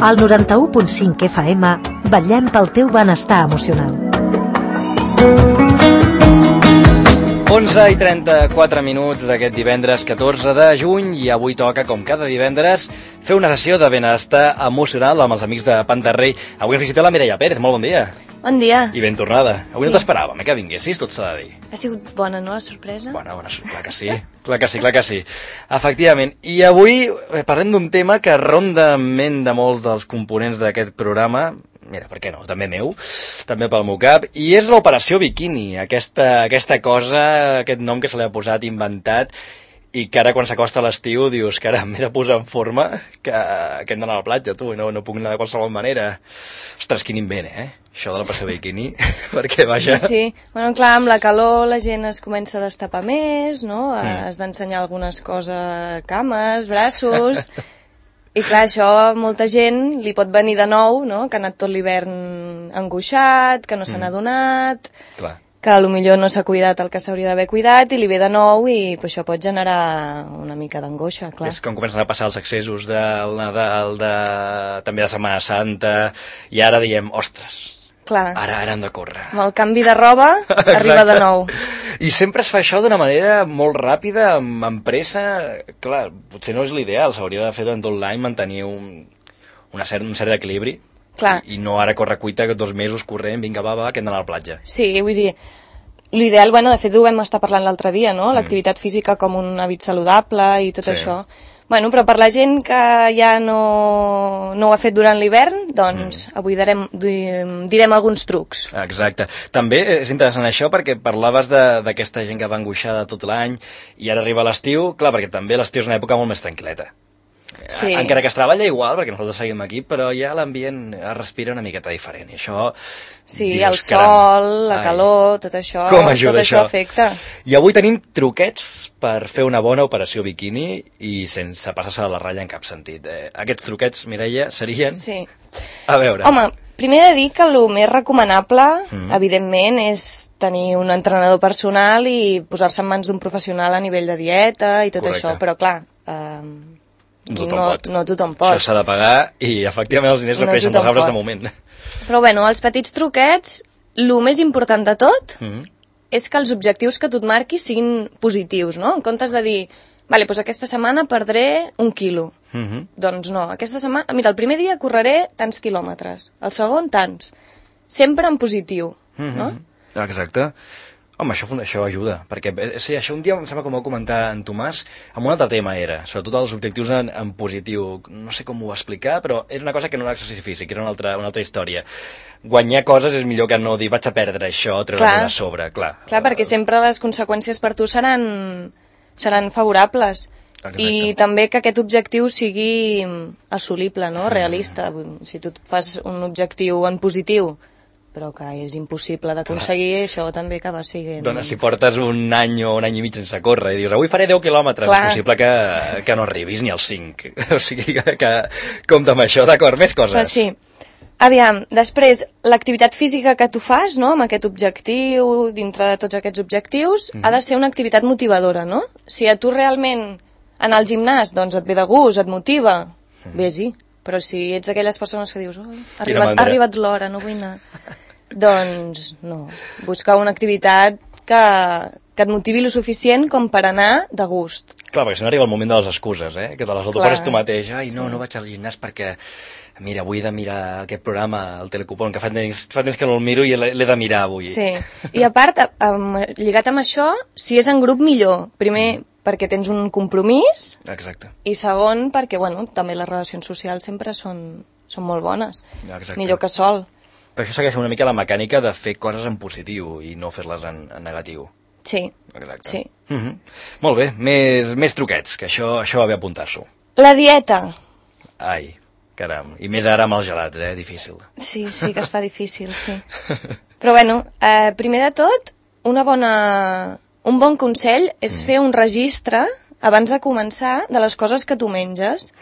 Al 91.5 FM vetllem pel teu benestar emocional. 11:34 aquest divendres 14 de juny i avui toca, com cada divendres, fer una sessió de benestar emocional amb els amics de Pantarrey. Avui ens visita la Mireia Pérez, molt bon dia. Bon dia. I ben tornada. Avui no t'esperàvem, que vinguessis, tot s'ha de dir. Ha sigut bona, no, la sorpresa? Bona, clar que sí. Clar que sí. Efectivament. I avui parlem d'un tema que ronda en ment de molts dels components d'aquest programa. Mira, per què no? També meu, també pel meu cap. I és l'Operació Bikini, aquesta cosa, aquest nom que se li ha posat, inventat, i que ara quan s'acosta l'estiu dius que ara m'he de posar en forma, que hem d'anar a la platja, tu, i no puc anar de qualsevol manera. Ostres, quin invent, això de l'Operació Bikini, perquè vaja... Sí. Bueno, clar, amb la calor la gent es comença a destapar més, no? Has d'ensenyar algunes coses, cames, braços... I clar, això a molta gent li pot venir de nou, no? Que ha anat tot l'hivern angoixat, que no se n'ha adonat, que potser no s'ha cuidat el que s'hauria d'haver cuidat i li ve de nou i això pot generar una mica d'angoixa, clar. És com comencen a passar els excessos del Nadal, també de Setmana Santa, i ara diem, ostres, ara hem de córrer. Amb el canvi de roba arriba de nou. I sempre es fa això d'una manera molt ràpida, amb pressa. Clar, potser no és l'ideal, s'hauria de fer durant tot l'any, mantenir un cert equilibri. Clar. I no ara córrer cuita 2 mesos corrent, vinga, va, que hem d'anar a la platja. Sí, vull dir, l'ideal, de fet ho vam estar parlant l'altre dia, no? L'activitat física com un hàbit saludable i tot això. Bueno, però per la gent que ja no ho ha fet durant l'hivern, doncs avui direm alguns trucs. Exacte. També és interessant això perquè parlaves d'aquesta gent que va angoixada tot l'any i ara arriba l'estiu, clar, perquè també l'estiu és una època molt més tranquil·leta. Sí. Encara que es treballa igual, perquè nosaltres seguim aquí, però ja l'ambient es respira una miqueta diferent. I això... Sí, el sol, la calor, tot això, afecta. I avui tenim truquets per fer una bona operació bikini i sense passar-se de la ratlla en cap sentit. Aquests truquets, Mireia, serien... Sí. A veure... Home, primer de dir que el més recomanable, evidentment, és tenir un entrenador personal i posar-se en mans d'un professional a nivell de dieta i tot això, però clar... No tothom pot. Això s'ha de pagar i efectivament els diners no creixen dels arbres de moment. Però bueno, els petits truquets, el més important de tot és que els objectius que tu et marquis siguin positius, no? En comptes de dir, vale, doncs aquesta setmana perdré 1 quilo. Doncs no, aquesta setmana, mira, el primer dia correré tants quilòmetres, el segon tants. Sempre en positiu, no? Exacte. Home, això ajuda, perquè sí, això un dia em sembla que m'ho va comentar en Tomàs, amb un altre tema era, sobretot els objectius en positiu, no sé com ho va explicar, però era una cosa que no era exercici físic, era una altra història. Guanyar coses és millor que no dir vaig a perdre això, treure-ho de sobre, clar. Clar, perquè sempre les conseqüències per tu seran favorables. Exacte. I també que aquest objectiu sigui assolible, no? Realista. Si tu fas un objectiu en positiu però que és impossible d'aconseguir, això també acaba sent... Doncs si portes un any o un any i mig sense córrer i dius, avui faré 10 quilòmetres, és possible que no arribis ni als 5. O sigui que compta amb això, d'acord, més coses. Però sí. Aviam, després, l'activitat física que tu fas, no?, amb aquest objectiu, dintre de tots aquests objectius, ha de ser una activitat motivadora, no? Si a tu realment anar al gimnàs, doncs et ve de gust, et motiva, vés-hi. Però si ets d'aquelles persones que dius ha arribat l'hora, no vull anar, doncs no. Busca una activitat que et motivi lo suficient com per anar de gust. Clar, perquè si no arriba el moment de les excuses, que te les autoposes tu mateix. Ai, no vaig al gimnàs perquè, mira, avui he de mirar aquest programa, el Telecupón, que fa temps que no el miro i l'he de mirar avui. Sí, i a part, lligat amb això, si és en grup millor. Primer, perquè tens un compromís. Exacte. I segon, perquè, bueno, també les relacions socials sempre són molt bones. Exacte. Millor que sol. Però això segueix una mica la mecànica de fer coses en positiu i no fer-les en negatiu. Sí. Exacte. Sí. Molt bé, més truquets, que això va bé apuntar-s'ho. La dieta. Ai, caram. I més ara amb els gelats, difícil. Sí que es fa difícil, sí. Però bueno, primer de tot, un bon consell és fer un registre abans de començar de les coses que tu menges.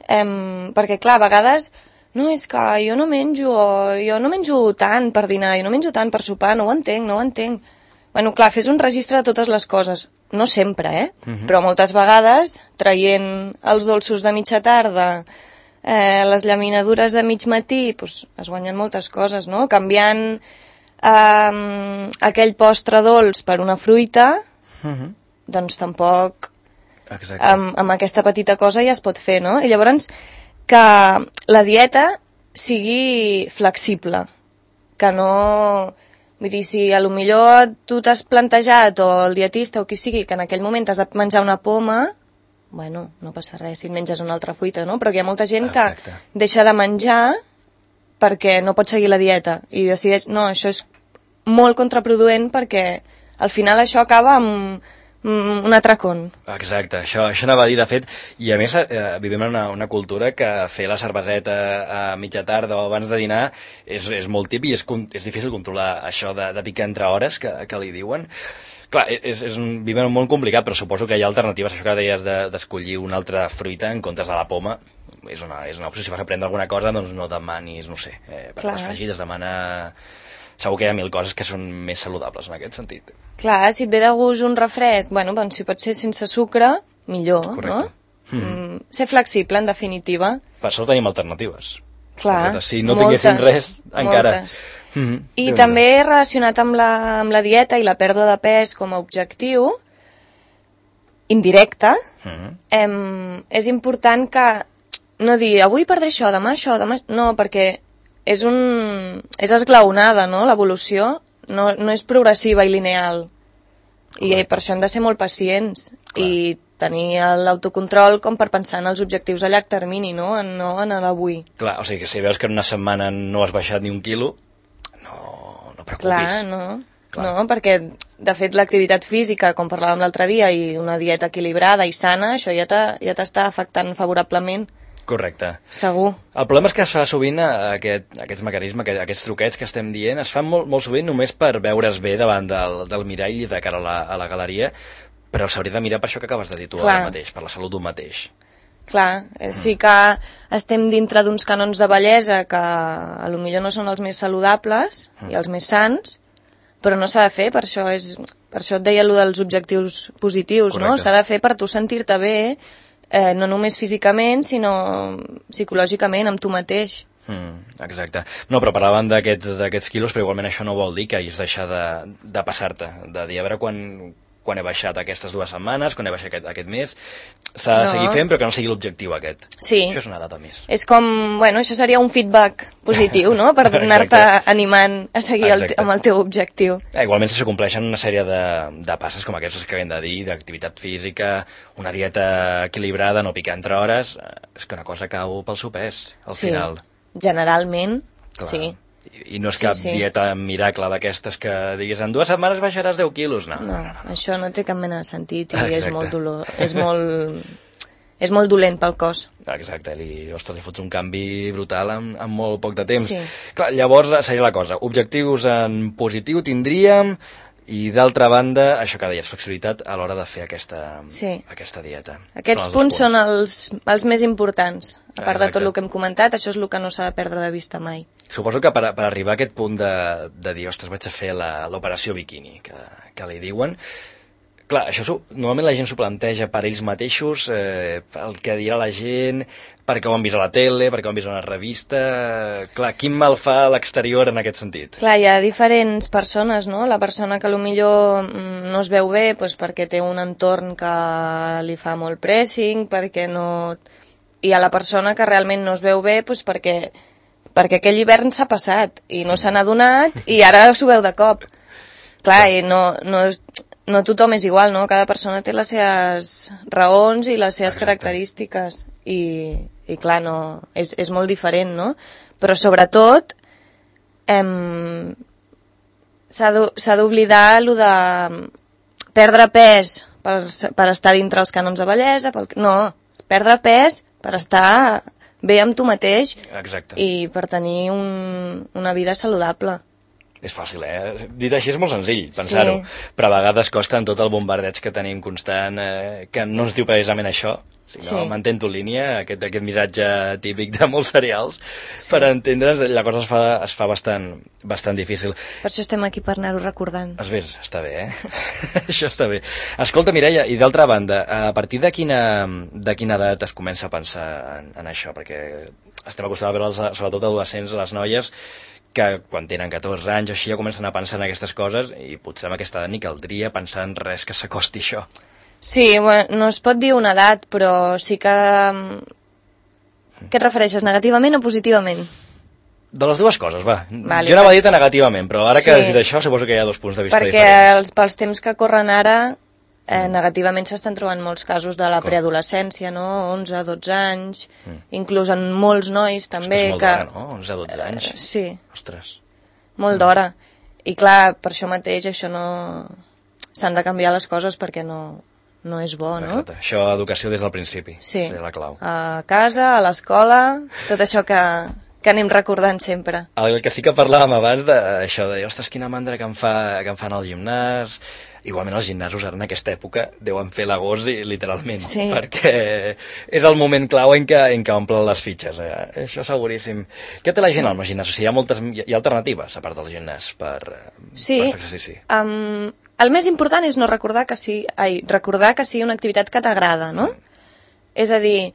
Perquè, clar, a vegades no, és que jo no menjo tant per dinar, jo no menjo tant per sopar, no ho entenc. Bueno, clar, fes un registre de totes les coses. No sempre, però moltes vegades, traient els dolços de mitja tarda, les llaminadures de mig matí, doncs es guanyen moltes coses, no? Canviant aquell postre dolç per una fruita, doncs tampoc amb aquesta petita cosa ja es pot fer, no? I llavors que la dieta sigui flexible, que no... Vull dir, si a lo millor tu t'has plantejat, o el dietista o qui sigui, que en aquell moment has de menjar una poma, bueno, no passa res si et menges una altra fruita, no? Però hi ha molta gent que deixa de menjar perquè no pot seguir la dieta i decideix, no, això és molt contraproduent perquè al final això acaba amb un atracón. Exacte, això anava a dir, de fet, i a més vivim en una cultura que fer la cerveseta a mitja tarda o abans de dinar és molt típic i és difícil controlar això de picar entre hores que li diuen. Clar, vivim en un món complicat, però suposo que hi ha alternatives. Això que deies d'escollir una altra fruita en comptes de la poma és una opció. Si vas a prendre alguna cosa, doncs no demanis, no sé, per les fregides demana... Segur que hi ha mil coses que són més saludables en aquest sentit. Clar, si et ve de gust un refresc, bueno, doncs si pot ser sense sucre, millor, correcte, no? Ser flexible, en definitiva. Per això tenim alternatives. Clar, si no tinguéssim res, encara... I també relacionat amb la dieta i la pèrdua de pes com a objectiu, indirecte, és important que no dir, avui perdré això, demà això, demà... No, perquè és esglaonada, no?, l'evolució, no és progressiva i lineal. I per això hem de ser molt pacients i tenir l'autocontrol com per pensar en els objectius a llarg termini, no en l'avui. Clar, o sigui que si veus que en una setmana no has baixat ni un quilo, no preocupis. Clar, no, perquè de fet l'activitat física, com parlàvem l'altre dia, i una dieta equilibrada i sana, això ja t'està afectant favorablement. Correcte. Segur. El problema és que es fa sovint aquests mecanismes, aquests truquets que estem dient, es fan molt sovint només per veure's bé davant del mirall de cara a la galeria, però s'hauria de mirar per això que acabes de dir tu ara mateix, per la salut d'un mateix. Clar, sí que estem dintre d'uns canons de bellesa que potser no són els més saludables i els més sans, però no s'ha de fer, per això et deia allò dels objectius positius, correcte, no? S'ha de fer per tu sentir-te bé, no només físicament, sinó psicològicament, amb tu mateix. Exacte. No, però parlaven d'aquests quilos, però igualment això no vol dir que hagis deixar de passar-te, de dir, a veure quan he baixat aquestes 2 setmanes, quan he baixat aquest mes, s'ha de seguir fent, però que no sigui l'objectiu aquest. Sí. Això és una data més. És com, bueno, això seria un feedback positiu, no?, per anar-te animant a seguir amb el teu objectiu. Igualment, si s'acompleixen una sèrie de passes com aquestes que acabem de dir, d'activitat física, una dieta equilibrada, no picar entre hores, és que una cosa cau pel seu pes, al final. Generalment, clar, sí. I no és cap dieta miracle d'aquestes que diguis en 2 setmanes baixaràs 10 quilos, no. Això no té cap mena de sentit i és molt dolor, és molt dolent pel cos. Exacte, li fots un canvi brutal en molt poc de temps. Sí. Clar, llavors seria la cosa, objectius en positiu tindríem, i d'altra banda, això que deies, flexibilitat a l'hora de fer aquesta dieta. Aquests punts són els més importants. A part de tot el que hem comentat, això és el que no s'ha de perdre de vista mai. Suposo que per arribar a aquest punt de dir, ostres, vaig a fer l'operació biquini, que li diuen, clar, això normalment la gent s'ho planteja per ells mateixos, el que dirà la gent, perquè ho han vist a la tele, perquè ho han vist a una revista... Clar, quin mal fa a l'exterior en aquest sentit? Clar, hi ha diferents persones, no? La persona que potser no es veu bé perquè té un entorn que li fa molt pressing, perquè no... I a la persona que realment no es veu bé perquè aquell hivern s'ha passat i no se n'ha adonat i ara s'ho veu de cop. Clar, i no tothom és igual, no? Cada persona té les seves raons i les seves característiques i clar, no, és molt diferent, no? Però sobretot s'ha d'oblidar allò de perdre pes per estar dintre els cànons de bellesa, no, perdre pes per estar bé amb tu mateix. Exacte. I per tenir una vida saludable. És fàcil, Dit així és molt senzill, pensar-ho. Però a vegades costa en tot el bombardeig que tenim constant, que no ens diu precisament això, Si no, mantén-ho en línia, aquest missatge típic de molts serials, per entendre's, la cosa es fa bastant difícil. Per això estem aquí, per anar-ho recordant. Es ves, està bé, Això està bé. Escolta, Mireia, i d'altra banda, a partir de quina edat es comença a pensar en això? Perquè estem acostumats a veure, sobretot adolescents, les noies, que quan tenen 14 anys així ja comencen a pensar en aquestes coses, i potser amb aquesta edat ni caldria pensar en res que s'acosti a això. Sí, bueno, no es pot dir una edat, però sí que... Què et refereixes, negativament o positivament? De les dues coses, va. Vale, jo anava a dir negativament, però ara que has dit això, suposo que hi ha dos punts de vista diferents. Perquè pels temps que corren ara, negativament s'estan trobant molts casos de la preadolescència, no? 11, 12 anys, inclús en molts nois també. És molt d'hora, no? 11, 12 anys. Sí. Ostres. Molt d'hora. I clar, per això mateix, això no... S'han de canviar les coses perquè no és bo, no? Exacte. Això, educació des del principi. Sí. Seria la clau. A casa, a l'escola, tot això que anem recordant sempre. El que sí que parlàvem abans d'això de, ostres, quina mandra que em fan al gimnàs. Igualment els gimnasos ara en aquesta època deuen fer l'agost literalment, perquè és el moment clau en què omplen les fitxes. Això seguríssim. Què té la gent al gimnàs? O sigui, hi ha alternatives, a part del gimnàs, per fer exercici? El més important és no recordar que sigui una activitat que t'agrada, no? És a dir,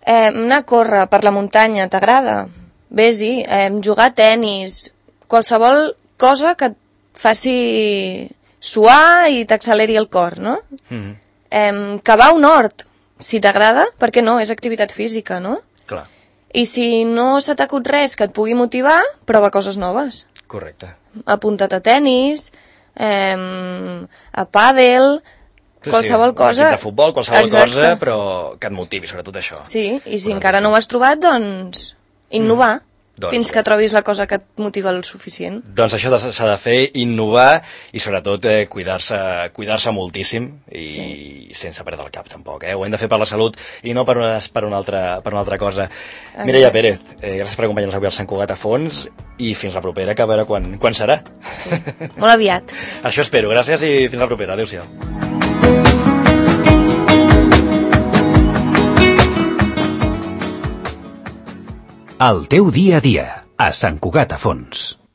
anar a córrer per la muntanya t'agrada? Vés-hi, jugar a tenis, qualsevol cosa que et faci suar i t'acceleri el cor, no? Cavar un hort, si t'agrada, per què no? És activitat física, no? Clar. I si no se t'acut res que et pugui motivar, prova coses noves. Correcte. Apunta't a tenis, a pàdel, qualsevol cosa. Un equip de futbol, qualsevol cosa, però que et motivi, sobretot això. Sí, i si encara no ho has trobat, doncs innovar. Fins que trobis la cosa que et motiva el suficient. Doncs això s'ha de fer, innovar i sobretot cuidar-se moltíssim i sense perdre el cap tampoc. Ho hem de fer per la salut i no per una altra cosa. Mireia Pérez, gràcies per acompanyar-nos avui al Sant Cugat a fons i fins la propera, que a veure quan serà. Sí, molt aviat. Això espero. Gràcies i fins la propera. Adéu-siau. El teu dia a dia, a Sant Cugat a Fons.